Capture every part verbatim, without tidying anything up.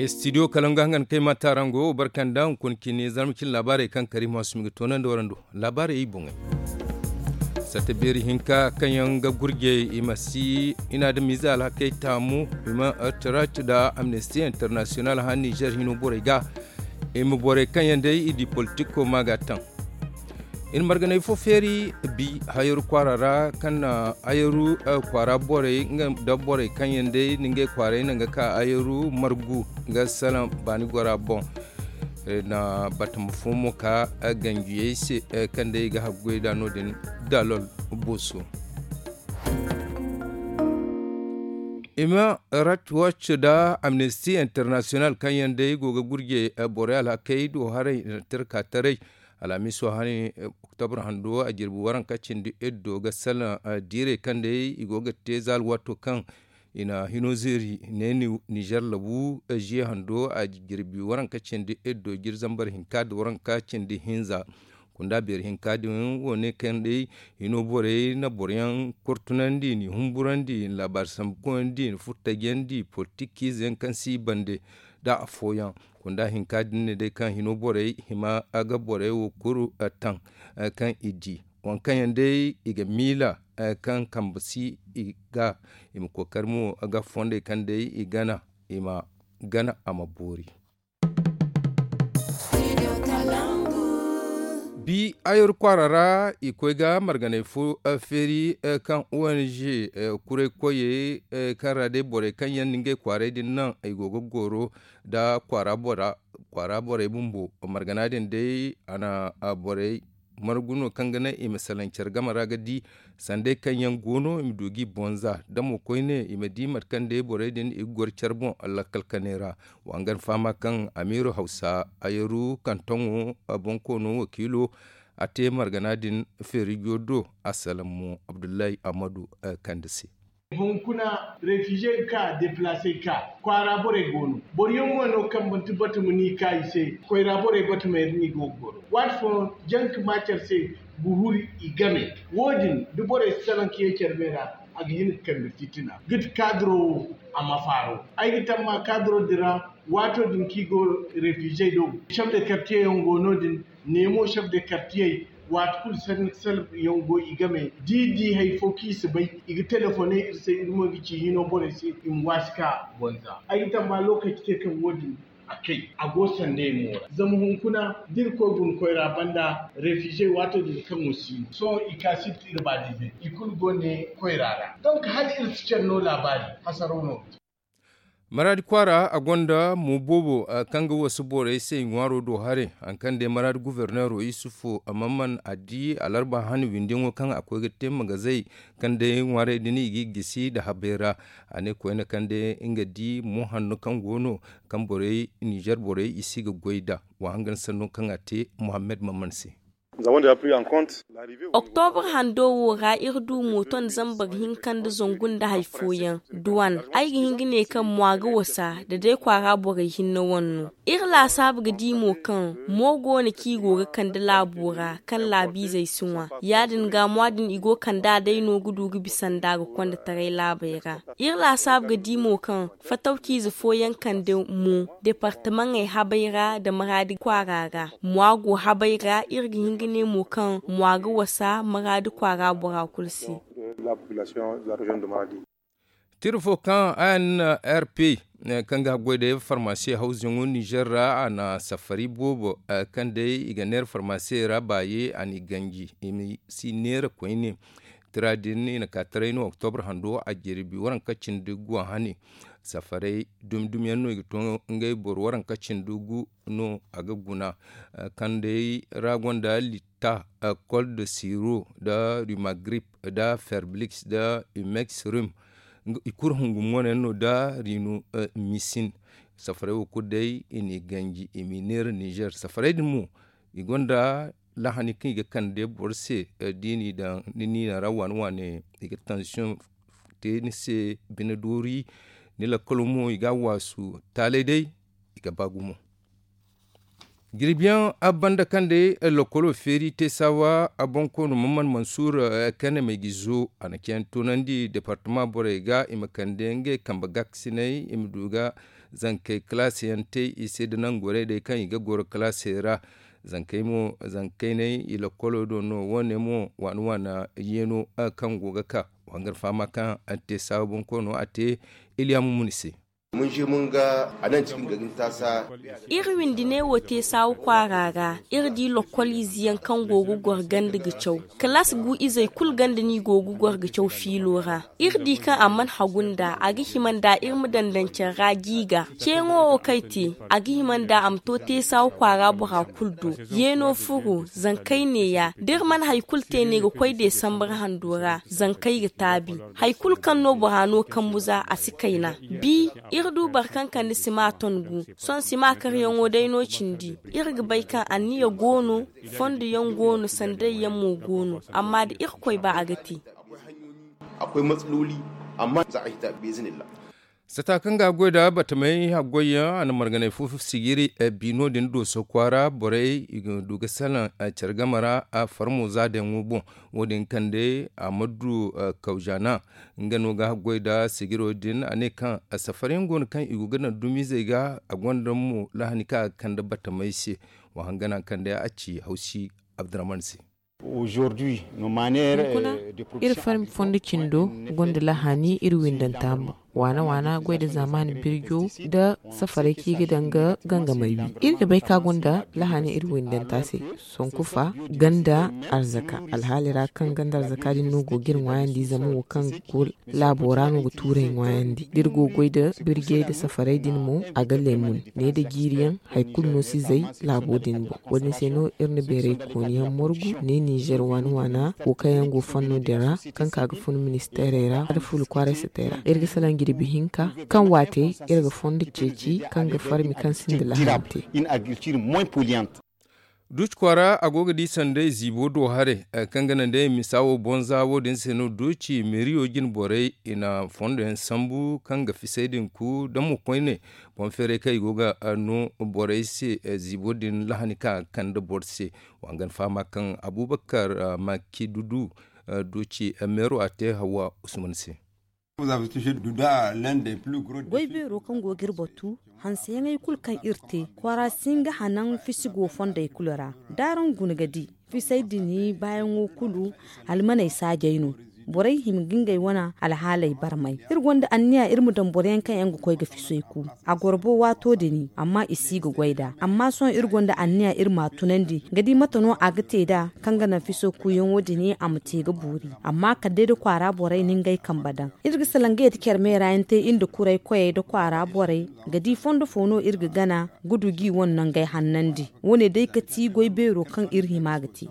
Studio kala nga hangan kay ma taarango barkanda hunkuna cine zarma cine laabaarey kaŋ kariima sumi ga toonandi warando. Laabaarey i boŋey satta beeri hinka kaŋ yaŋ ga gurjey i ma si i na adamiize alhakey taamu i ma tarac nda amnesti internasiyonal hã nizer hino borey ga i ma borey kaŋ yaŋ day i di politiko ma ga taŋ. I na marganay fo feeri bi hayaru kwaara ra kaŋ na hayaru kwaara borey nda borey kaŋ yaŋ day na ngey kwaaray naŋ ga ka hayaru margu ga salaŋ baani gora boŋ. Na batama fo mo ka ganjiyey se kaŋ day i ga haggoy nd'a no- din dalol booso. Human rights watch nda amnesty international kaŋ yaŋ day go ga gurje borey alhakey do haray na tirka taray. Alhamiiso hane oktobra hando a jirbi waranka cindi iddo ga salaŋ diirey kaŋ day i go ga te za alwaato kaŋ i na hino zeeri ne nizer labu ziye hando a jirbi waranka cindi iddo jiri zambar hinka nda waranka cindi hinza. Kunda beeri hinka din wo ne kaŋ day hino borey na boro yaŋ kortunandi i na humburandi i na laabaari sambu koyandi i na furo tajandi politikiize yaŋ kaŋ si i bande nda afooyaŋ. Kunda hinka din ne day kaŋ hino borey hima ga borey wo kulu taŋ kaŋ i di waŋ kaŋ yaŋ day i ga miila kaŋ kambe si i ga i ma kookari mo ga fondey kaŋ day i gana i ma gana a ma boori. Bi ayor kwaara ra i koy ga marganay fo feeri kaŋ ong kuray koyey kaŋ ra day borey kaŋ yaŋ na ngey kwaaray din naŋ i go ga goro nda kwaara borey bumbo. Margana din day a na borey margu no kaŋ ga naŋ i ma salaŋ care game ra ga di sanday kaŋ yaŋ go no i ma du g'i boŋ za da mo koyne i ma di mate kaŋ day borey din i ga goro care boŋ lakkal kanay ra. Wa hangan fahama kaŋ amiiro hawsa ayaru kantoŋo bonkoono wakiilo a te margana din feerijo do. Assalamu abdullahi ammadu kande se. Hunkuna refize ga ka deplase ga ka kwaara borey go no boro yaŋ mo no kaŋ manti batama no i ka i se. Koyra borey batama yaŋ no i go ga goro waati fooyaŋ janka ma care se. Guhuri i game wo- din da borey si salaŋ ka ye care me ra a ga hin ga kande fitina ga ti kaadiro wo a ma faaro. Ay ga tamma kaadiro din ra waato din kaŋ i go refizey do. Sef de kartiye yaŋ go no- din neemo sef de kartiyey waati kulu salab yaŋ go i game da i di hari fo kaŋ i si bay i ga telefoney iri se iri mo ga ci hino borey se i ma waasi ka bonza. Ay ga tamba lookaci te kaŋ wo- din a kay a go sandey mo ra zama hunkuna da iri koy guna koyra banda refizey waato din kaŋ wo si no sohõ i ka sibti iri baadizey i kulu go ne koyra ra. Donk hala iri si care no laabaari hasaraw no ga te. Maraadi kwaara a gonda mo boobo kaŋ ga wasu borey se i ŋwaaro do haray. Hari kaŋ day maraadi guverneero yusufu mamman a di alarba hani windiyaŋo kaŋ a koy ga te magazey kaŋ day ŋwaarey din i g'i gisi nda habey ra. A ne koyne kaŋ day nga di mo hanno kaŋ go no kaŋ borey nizer borey i si ga goy nd'a. Wa hangan sanno kaŋ a te muhammed mamman se. Oktobra hando wo ra iri du mooto nda zambar hinka nda zangu nda hari fooyaŋ duwan. Ay ga hin ga ne kaŋ mwa ga wasa da day kwaara borey hinne wane no. Iri laasaabu ga di mo kaŋ mo go no kaŋ i go ga kande laabo ra kaŋ laabiizey si ŋwa. Ya- din ga mwa din i go ga kand'a day no ga du ga bisa nda ga konda taray laabey ra. Iri laasaabu ga di mo kaŋ fatawciize fooyaŋ kande mo departamaŋey habey ra nda maraadi kwaara ra. Mwa go habey ra iri ga hin ga ne mo kaŋ mwa ga wasa maraadi kwaara bora kulu se. Tira fo kaŋ a na r p kaŋ ga haggoy day farmasiye hawzuyaŋo nizer ra a na safari boobo kaŋ day i ga neera farmasiye ra baaye a n'i ganji i ma si neera koyne. Tira din i na ka taray no oktobra hando a jirbi waranka cindi gu a hane. Safaray dumi dumi yaŋ no i ga to ngey boro waranka cindi gu no a ga guna. Kaŋ day ra gonda litta, kol de siro nda rumagrip nda ferblix nda umex rum. I kulu hungu mono yaŋ no nda rinu misin. Safaray wo kulu day i n'i ganji i m'i neera nizer safaray din mo i gonda lahani kaŋ i ga kande boro se. Da i n'i daŋ ni niina ra waane waane i ga tansiyoŋ te ni se bine doori. Ni lakkalo mo i ga a waasu taalay day i ga ba gumo. Jirbiyaŋ banda kaŋ day lokolo feeri te saawa bonkoono mamman mansuur kane ma i ga zo a na cayandi toonandi departama borey ga i ma kande ngey kambe gaakasiney i ma du ga zankey kalaasi yaŋ te i se nda nangu gorey day kaŋ i ga goro kalaasey ra. Zankey mo zankey nay i lakkolo do no wo- ne mo waana waana yeeno kaŋ go ga ka. Wa hangar fahama kaŋ a te saawa bonkoono a te iliya mumuni se. Iri windi ne wo te saawa kwaara ra. Iri di lokkol ize yaŋ kaŋ go ga goro ganda ga caw. Kalaas gu izey kulu ganda no i go ga goro ga caw fiilo ra. Iri di kaŋ a mana hagu nd'a a ga hima nd'a iri ma dandancer ra jiiga. Ceeŋo wo kaŋ ay te a ga hima nd'a a ma to te saawa kwaara bora kulu do. Yeeno furo zankey neeya da iri mana hari kulu te ne ga koy deesambar hando ra zankey ga taabi. Hari kulu kaŋ no bora no kambu za a si kayna. Bi iri du boro kaŋ kande sima ton gu. Sohõ sima karyaŋo day no cindi. Iri ga bay kaŋ anniya go no. Fondo yaŋ go no sanday yaŋ mo go no. Amma da irkoy ba a ga te. Akwai matsaloli amma za a hita bi iznillah. Sata kaŋ ga goy da batamey haggoy yaŋ a na marganay fo sijiri. Bi no- din dooso kwaara borey i ga du ga salaŋ care game ra. Farmo za dayaŋo boŋ wo- din kande a ma du kawjana. Nga no ga haggoy da sijiro din a ne kaŋ safar yaŋ go no kaŋ i go ga naŋ dumizey ga a gonda mo lahani kaŋ a ga kande batamey se. Wa hangana kaŋ day a ci hawsi abdurrahman se. Hunkuna iri farmi fondo cindo gonda lahani iri windanta boŋ. Waana waana goy da zaamaani birjo nda safaray kaŋ i ga daŋ ga gangamey wi. Iri ga bay kaŋ a gonda lahani iri windanta se. Sonkufa ganda arzaka alhaali ra kaŋ ganda arzaka din no go ga iri ŋwaayandi zama wo kaŋ go laabo ra no ga tuurey ŋwaayandi da iri go ga goy da birjey nda safaray din mo a ga leemun ne nda jiiri yaŋ. Hari kulu no si zay laabo din boŋ. Wo- din se no iri na beeray kooni yaŋ morgu ne ninzeer waana waana wo kaŋ yaŋ go fanno din ra kaŋ ka ga fun ministeerey ra nda fuula kwaaray satey ra iri ga salaŋ jirbi hinka kaŋ waate iri ga fondo ceeci kaŋ ga farmi kaŋ sinda laham te. Duuci kwaara a go ga di sanday ziibo do haray kaŋ ga naŋ day misa wo boŋ za wo- din se no duuci meeriyo jine borey i na fondo yaŋ sambu kaŋ ga fisay din ku da mo koyne boŋ feeray kaŋ i go ga no borey se. Ziibo din lahani kaŋ a ga kande boro se. Wa hangan fahama kaŋ abubakar makidudu duuci meero a te hawa usman se. Goy beero kaŋ go ga iri batu hanseyaŋey kulu kaŋ iri te kwaara si hin ga hanan fisi go fondey kulu ra. Da araŋ guna ga di fisey din baayaŋo kulu almaney saajey no. Borey hima ga ngey wane alhaaley barmay iri gonda anniya iri ma daŋ boro yaŋ kaŋ yaŋ ga koy ga fisey ku. A gorbo waato din amma i si ga goy nd'a amma sohõ iri gonda anniya iri m'a tunandi ga di mate no a ga te nd'a kaŋ ga naŋ fiso kuuyaŋo din a ma te ga boori. Amma kala day da kwaara borey na ngey kambe daŋ iri ga salaŋ ga yadda care meera yaŋ te iri nda kuray koyey nda kwaara borey ga di fondo fo no iri ga gana ga du g'i wane nangey hannandi. Wo- ne day ga ti goy beero kaŋ iri hima ga te.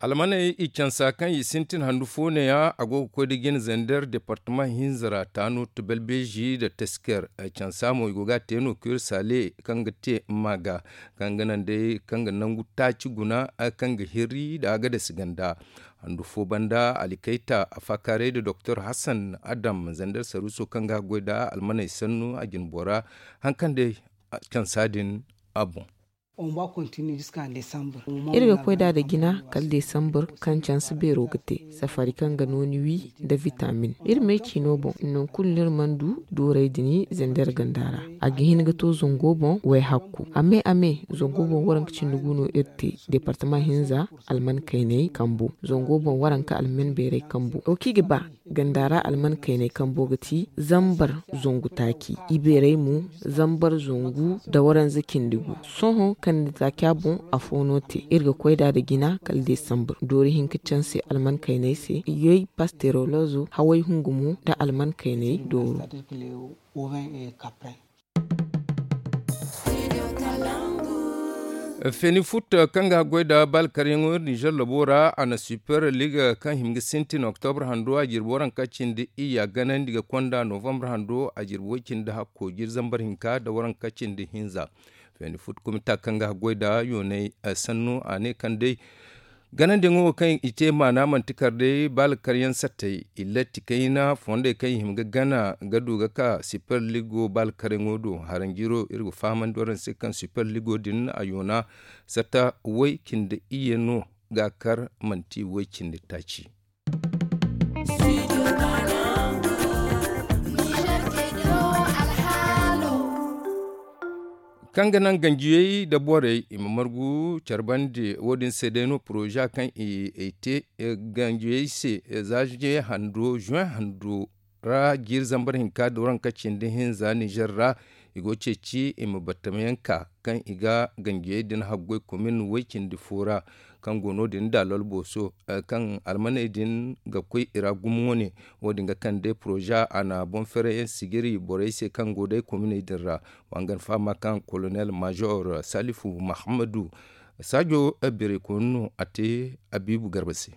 Almaney i cansa kaŋ i sintin handu fo neeya a go ga koy nda jine zander departama hinza ra taano tubelbeezi nda tesker. Cansa mo i go ga a te no kuri saale kaŋ ga te maaga kaŋ ga naŋ day kaŋ ga nangu taaci guna kaŋ ga hirri nda a ga dasi ganda. Handu fo banda alikayta a faakaaray nda doktor hasan adam zander saruuso kaŋ ga a goy nda almaney sannu a jine bora haŋ kaŋ day cansa din a boŋ. Iri ga koy nd'a nda jina kala desambar kaŋ canse beero ga te safari kaŋ ga nooni wi nda vitamin. Iri me ciino boŋ nangu kulu no iri mana du doorey din zander ganda ra. A ga hin ga to zango boŋ wayhakku a me a me zango boŋ waranka cindi gu no iri te departama hinza alman kayney kambo zango boŋ waranka alman beerey kambo wo kaŋ i ga ba ganda ra alman kayney kambo ga ti zambar zangu taaci ibeerey mo zambar zangu nda waranza cindi gu. Sohõ kande taaca boŋ afo no te iri ga koy nd'a nda jina kala desambar doori hinka canse alman kayney se yoy pasterolozo haway hungu mo nda alman kayney dooro. Feeni fut kaŋ ga goy nda baalkaryaŋo iri ninzeer labo ra a na super liga kaŋ hima ga sintin oktobre hando a jirbi waranka cindi iyya ganandi ga konda novambre hando a jirbi way cindi hakko jiri zambar hinka nda waranka cindi hinza. Feeni fut kumita kaŋ ga goy nda yoonay sanno a ne kaŋ day ganandiyaŋo wo kaŋ i te maana manti kar day baala karyaŋ sattey. Illatti kayna fondey kaŋ i hima ga gana ga du ga ka super ligo baala karyaŋo do haranjiro iri ga fahamandi waraŋ se kaŋ super ligo din a yoona satta way cindi iyye no ga kar manti way cindi taaci. Kaŋ ga naŋ ganjiyey nda borey i ma margu care bande. Wo- din se day no poroza kaŋ i te ganjiyey se, zaaje hando zuwen hando ra jiiri zambar hinka da waranka cindi hinza nizer ra. I go ga ceeci i ma battam yaŋ ka kaŋ i ga ganjiyey din haggoy komin way cindi fo ra, kaŋ go no- din da lolboso kaŋ almaney din ga koy i ra gumo wane. Wo- din ga kande poroza a na boŋ ferey yaŋ sijiri borey se kaŋ go day kominey din ra. Wa hangan fahama kaŋ kolonel maazor salifu mahammadu saajo birey koyne no a te abiibu garba se.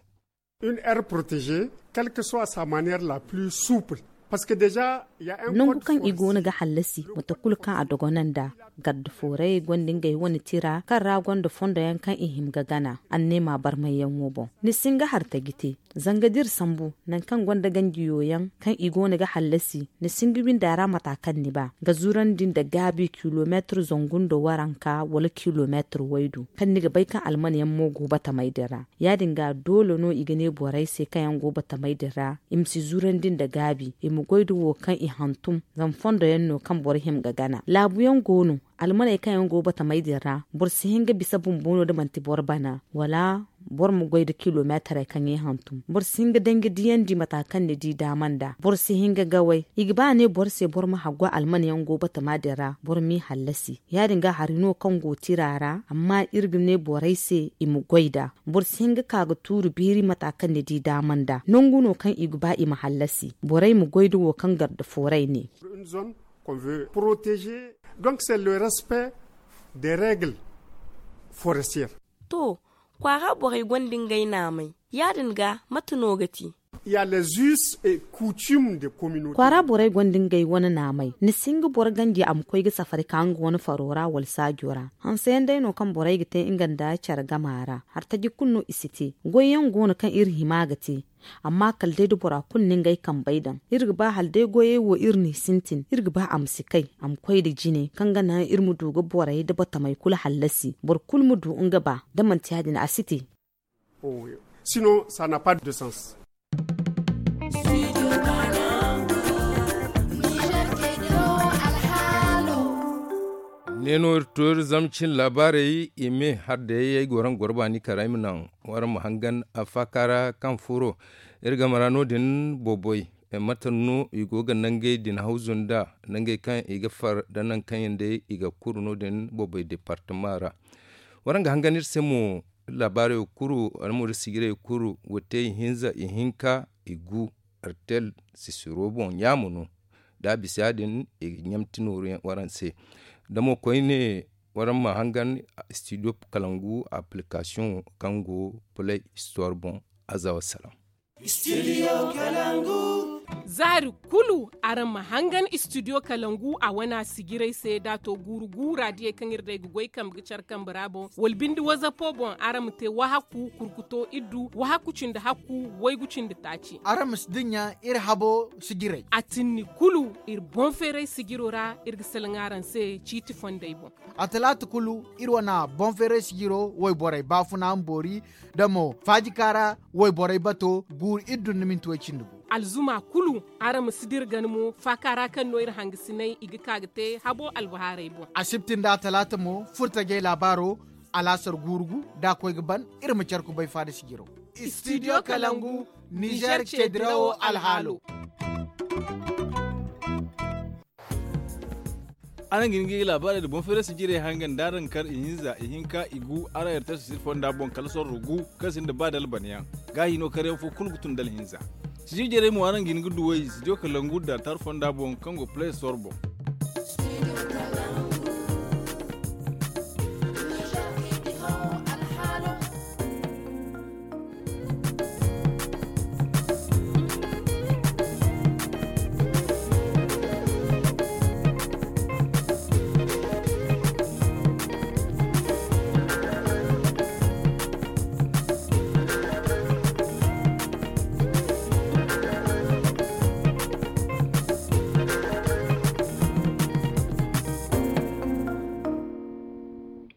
Une aire protégée, quelque soit sa manière la plus souple, parce que déjà nangu kaŋ i go no ga hallasi mate kulu kaŋ a dogonanda. Garda fooray gonda ngey wane tira kaŋ ra gonda fondo yaŋ kaŋ i hima ga gana anneema barmay yaŋo boŋ. Ni si hin ga hari taji te zanga da iri sambu nangu kaŋ gonda ganjiyo yaŋ kaŋ i go no ga hallasi, ni si hin ga windi a ra mata kaŋ ni ba ga zurandi nda gaabi kilomeetir zangu nda waranka wala kilomeetir waydu kaŋ ni ga bay kaŋ alman yaŋ mo go batamay din ra. Ya- din ga doole no i ga ne borey se kaŋ yaŋ go batamay din ra i ma si zurandi nda gaabi i ma goy da wo kaŋ i hantum. Zama fondo yaŋ no kaŋ boro hima ga gana laabu yaŋ go no. Almaney kaŋ yaŋ go batamey din ra boro si hin ga bisa bumbo no da manti boro bana wala boro ma goy da kilomeetarey kaŋ i hantum. Boro si hin ga danji diyandi mata kaŋ ni di daama nda boro si hin ga gaway. I ga ba a ne boro se boro ma haggu alman yaŋ go batama din ra boro m'i hallasi. Ya- din ga hari no kaŋ go tira ra amma iri ga ne borey se i ma goy nd'a. Boro si hin ga ka ga tuuri beeri mata kaŋ ni di daama nda nangu no kaŋ i ga ba i ma hallasi borey ma goy nda wo kaŋ garda fooray ne. Une zone qu'on veut protéger. Donc c'est le respect des règles forestières. To, kwaara borey gonda ngey naamey. Ya- din ga mate no ga te? Ya les us et coutumes de communauté. Kwaara borey gonda ngey wane naamey ni si hin ga boro ganji a ma koy ga safari ka nga wane faro ra wala saajo ra. Hanse yaŋ day no kaŋ borey ga te nga nda care gama ra hari taji kulu no i si te. Goy yaŋ go no kaŋ iri hima ga te. Amma kala day da bora kulu na ngey kambey daŋ iri ga ba hala day goyey wo iri n'i sintin iri ga ba a ma si kay a ma koy nda jine kaŋ ga naŋ iri ma du ga borey nda batamey kulu hallasi boro kulu ma du nga ba. Da manti ya- din a si te. Sinon ça n'a pas de sens. Ne no iri to iri zama cin laabaarey i me har day ay go raŋ goro baani kara ay ma naŋ waraŋ ma hangan a faaka ra kaŋ furo iri game ra no- din boboy. Mate no i go ga nangey din hawzu nda nangey kaŋ i ga far da nangu kaŋ yaŋ day i ga kuru no- din boboy departama ra. Waraŋ ga hangan iri se mo laabaarey wo kuru wala mo iri sijirey kulu wo te ihinza ihinka igu. Artel sisiro boŋ ɲaama no. Da a bisa ya- din i ga ɲamti nooru yaŋ waraŋ se. Da mo koyne waraŋ ma hangan studio kalangu application kaŋ go play store boŋ. Aza wassalam. Zaari kulu araŋ ma hangan studio kalangu a wana sijirey se da a to guuru guura diyey kaŋ iri day ga goy kambe ga care kambe ra boŋ wala binde wazapo boŋ araŋ ma te wahakku kurkuto iddu wahakku cindi hakku waygu cindi taaci. Araŋ ma si dinya iri habo sijirey a tinni kulu iri boŋ feeray sijiro ra. Iri ga salaŋ araŋ se ciiti fondey boŋ. A talaata kulu iri wana boŋ feeray sijiro wayborey baafuna ma boori da mo faajika ra wayborey bato guuru iddu nda minti way cindi gu. Alzuma kulu araŋ ma si dira gana mo faaka ra kaŋ no iri hangasiney i ga ka ga te habo albahaarey boŋ. Asibti nda talaata mo furtajey laabaaro alaasar guuru gu da a koy ga ban. Iri ma care kubay faada sijiro. Studio kalangu nizer ce dirawo alhaalo. Araŋ ga hin ga laabaarey nda boŋ feeray sijirey hangan da araŋ kar ihinza ihinka igu araŋ yarta sisir fonda boŋ kala sorro gu kaŋ sinda ba dalbanyaŋ. Gaahi no karyaŋ fo kulu ga tun dalhinza. Sijir jarey mo araŋ ga hin ga duwey studio kalangu da tar fonda boŋ kaŋ go play store boŋ.